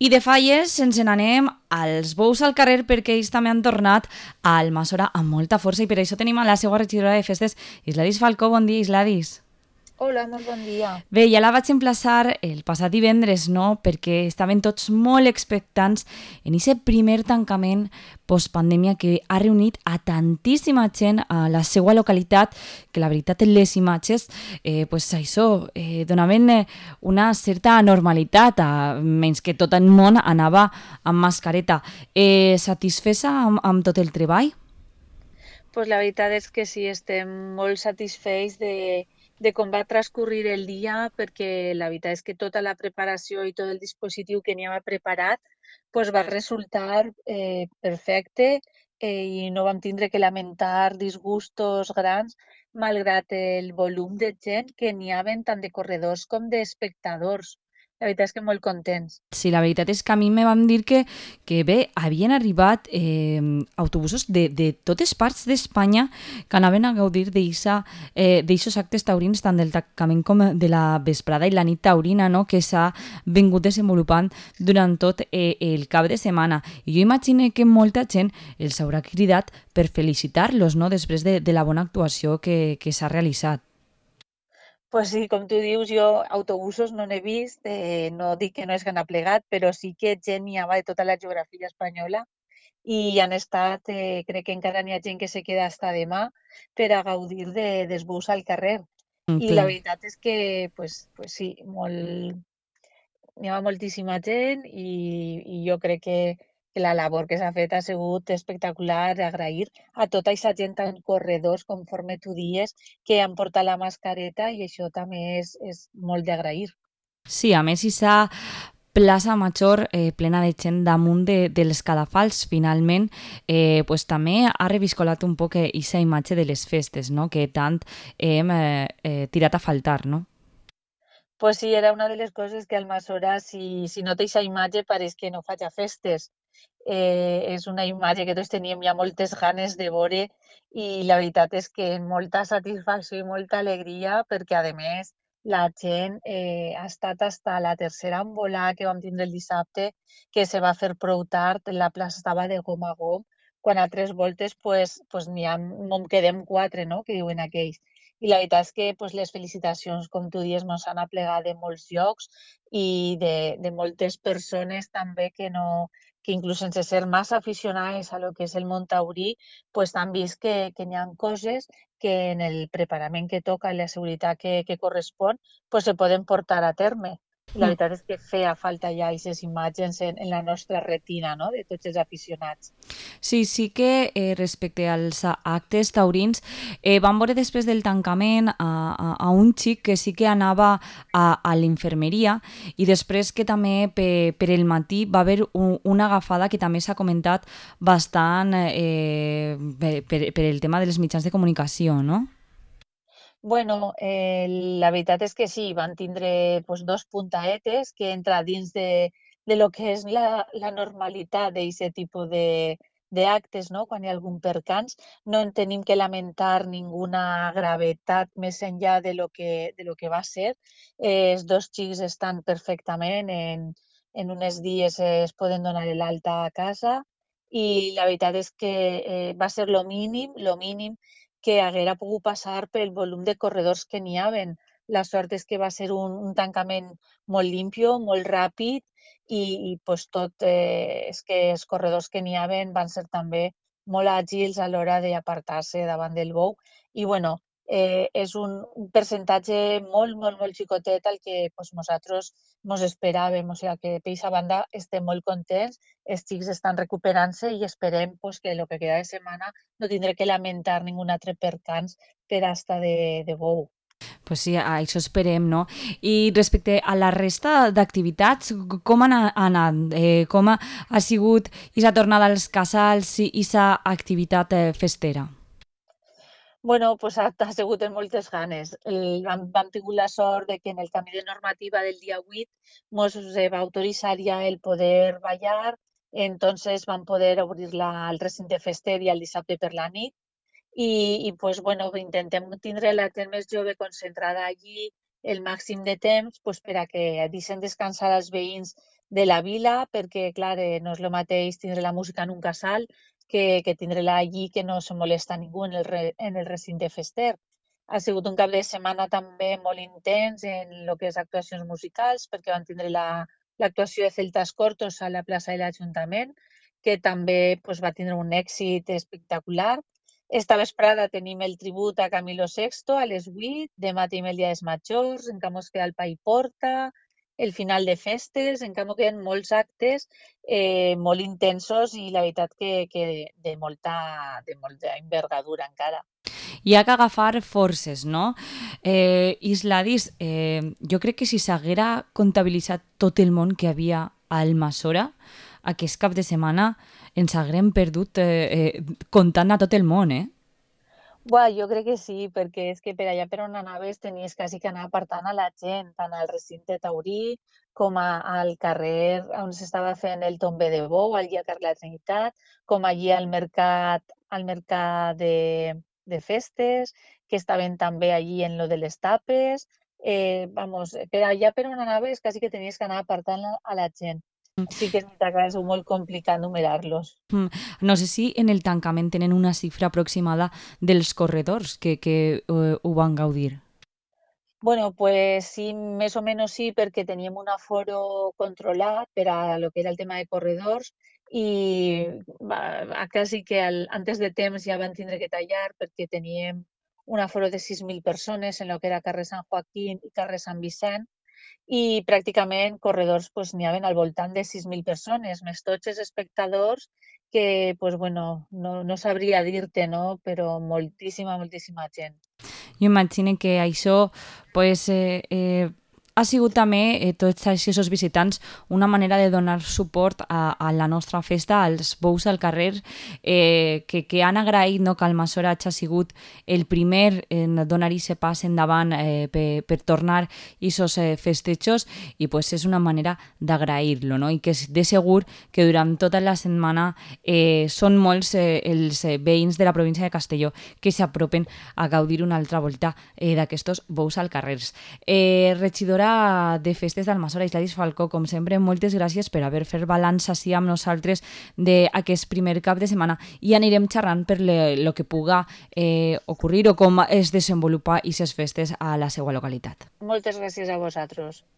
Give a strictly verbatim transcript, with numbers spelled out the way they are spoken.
I de falles ens n'anem als bous al carrer perquè ells també han tornat a Almassora amb molta força i per això tenim a la seva regidora de festes, Isladis Falcó. Bon dia, Isladis. Hola, molt bon dia. Bé, ja la vaig emplaçar el passat divendres, no?, perquè estaven tots molt expectants en aquest primer tancament postpandèmia que ha reunit a tantíssima gent a la seva localitat, que la veritat les imatges, eh, pues això, eh, donaven eh, una certa normalitat, a, menys que tot el món anava amb mascareta. Eh, satisfesa amb, amb tot el treball? Pues la veritat és que sí, estem molt satisfets de, de com va transcurrir el dia, perquè la veritat és que tota la preparació i tot el dispositiu que n'hi havia preparat pues va resultar eh, perfecte eh, i no vam tindre que lamentar disgustos grans, malgrat el volum de gent que n'hi havia tant de corredors com d'espectadors. La veritat és que molt contents. Sí, la veritat és que a mi me van dir que, que bé, havien arribat eh, autobusos de, de totes parts d'Espanya que anaven a gaudir d'aixos eh, actes taurins, tant del tancament com de la vesprada i la nit taurina, no?, que s'ha vingut desenvolupant durant tot eh, el cap de setmana. I jo imagino que molta gent els haurà cridat per felicitar-los, no?, després de, de la bona actuació que, que s'ha realitzat. Pues sí, com tu dius, jo autobusos no n'he vist, eh, no dic que no és que n'ha plegat, però sí que gent n'hi havia de tota la geografia espanyola i hi han estat, eh, crec que encara n'hi ha gent que se queda hasta demà per a gaudir de, dels bus al carrer. Mm, I la clar. veritat és que, pues, pues sí, molt, n'hi ha moltíssima gent i, i jo crec que, que la labor que s'ha fet ha sigut espectacular, agrair a tota aquesta gent en corredors, conforme tu dies, que han portat la mascareta i això també és, és molt d'agrair. Sí, a més, aquesta plaça Major eh, plena de gent damunt de, dels cadafals, finalment, eh, pues, també ha reviscolat un poc aquesta imatge de les festes, no?, que tant hem eh, eh, tirat a faltar, no? Pues sí, era una de les coses que Almassora, si, si no té aquesta imatge, pareix que no faig festes. Eh, és una imatge que tots teníem ja moltes ganes de veure i la veritat és que molta satisfacció i molta alegria perquè, a més, la gent eh, ha estat hasta la tercera envolada que vam tindre el dissabte, que se va fer prou tard, la plaça estava de gom a gom, quan a tres voltes pues, pues n'hi ha, no en quedem quatre, no?, que diuen aquells. I la veritat és que pues, les felicitacions, com tu dius, ens han aplegat de molts llocs i de, de moltes persones també que no, que inclús sense ser massa aficionades a lo que és el món taurí, pues han vist que, que n'hi ha coses que en el preparament que toca i la seguretat que, que correspon pues se poden portar a terme. I la veritat és que feia falta ja aquestes imatges en, en la nostra retina, no?, de tots els aficionats. Sí, sí que eh, respecte als a- actes taurins, eh, vam veure després del tancament a, a, a un xic que sí que anava a, a l'infermeria i després que també pe, per el matí va haver un, una agafada que també s'ha comentat bastant eh, per, per, per el tema de les mitjans de comunicació, no? Bueno, eh, la veritat és que sí, van tindre pues, dos puntaetes que entra dins de, de lo que és la, la normalitat d'aquest tipus de, d'actes, no?, quan hi ha algun percans. No en tenim que lamentar ninguna gravetat més enllà de lo que, de lo que va ser. Eh, els dos xics estan perfectament, en, en uns dies eh, es poden donar l'alta a casa i la veritat és que eh, va ser lo mínim, lo mínim que haguera pogut passar pel volum de corredors que n'hi haven. La sort és que va ser un, un tancament molt limpio, molt ràpid i, i pues, tot eh, és que els corredors que n'hi haven van ser també molt àgils a l'hora d'apartar-se davant del bou. I bueno, eh, és un, un percentatge molt, molt, molt xicotet al que pues, nosaltres ens esperàvem. O sigui que per aquesta banda estem molt contents, els xics estan recuperant-se i esperem pues, que el que queda de setmana no tindré que lamentar ningun altre percans per asta de, de bou. Pues sí, a això esperem, no? I respecte a la resta d'activitats, c- com han a- anat? Eh, com ha, ha sigut aquesta tornada als casals i aquesta activitat eh, festera? Bueno, pues ha, ha sigut amb moltes ganes. El, vam, vam tingut la sort de que en el canvi de normativa del dia vuit ens va autoritzar ja el poder ballar, entonces vam poder obrir la, el recinte fester i el dissabte per la nit i, i pues, bueno, intentem tindre la gent més jove concentrada allí el màxim de temps pues, per a que deixen descansar els veïns de la vila, perquè, clar, eh, no és el mateix tindre la música en un casal que, que tindre-la allí, que no se molesta ningú en el, re, en el recinte fester. Ha sigut un cap de setmana també molt intens en el que és actuacions musicals, perquè van tindre la, l'actuació de Celtas Cortos a la plaça de l'Ajuntament, que també pues, va tindre un èxit espectacular. Esta vesprada tenim el tribut a Camilo sexto a les vuit, demà tenim el Dia dels Majors, encara mos queda el Pa i Porta, el final de festes, encara queden molts actes eh, molt intensos i la veritat que, que de, molta, de molta envergadura encara. Hi ha que agafar forces, no? Eh, Isladis, eh, jo crec que si s'haguera comptabilitzat tot el món que havia a Almassora, aquest cap de setmana ens haguem perdut eh, eh, comptant a tot el món, eh? Buah, jo crec que sí, perquè és que per allà per on anaves tenies quasi que anar apartant a la gent, tant al recinte taurí com a, al carrer on s'estava fent el tombe de bou, allí al carrer de la Trinitat, com allí al mercat, al mercat de, de festes, que estaven també allí en lo de les tapes. Eh, vamos, per allà per on anaves quasi que tenies que anar apartant a, a la gent. Sí que és veritat que és molt complicat numerar-los. Mm, No sé si en el tancament tenen una xifra aproximada dels corredors que, que eh, ho van gaudir. Bueno, pues sí, més o menys sí, perquè teníem un aforo controlat per a lo que era el tema de corredors i va, quasi que al, antes de temps ja van tindre que tallar perquè teníem un aforo de sis mil persones en lo que era carrer Sant Joaquín i carrer Sant Vicent i pràcticament corredors pues, n'hi havia al voltant de sis mil persones, més tots els espectadors que, pues, bueno, no, no sabria dir-te, no? Però moltíssima, moltíssima gent. Jo imagino que això pues, eh, eh, ha sigut també, eh, tots aquests visitants, una manera de donar suport a, a la nostra festa, als bous al carrer, eh, que, que han agraït no, que Almassora hagi sigut el primer en donar aquest pas endavant eh, per, per tornar aquests eh, festejos i pues, és una manera d'agrair-lo, no? I que de segur que durant tota la setmana eh, són molts eh, els eh, veïns de la província de Castelló que s'apropen a gaudir una altra volta eh, d'aquests bous al carrer. Eh, regidora de Festes d'Almassora, Isladis Falcó, com sempre, moltes gràcies per haver fet balanç així amb nosaltres d'aquest primer cap de setmana i anirem xerrant per el que puga eh, ocorrir o com es desenvolupa aquestes festes a la seva localitat. Moltes gràcies a vosaltres.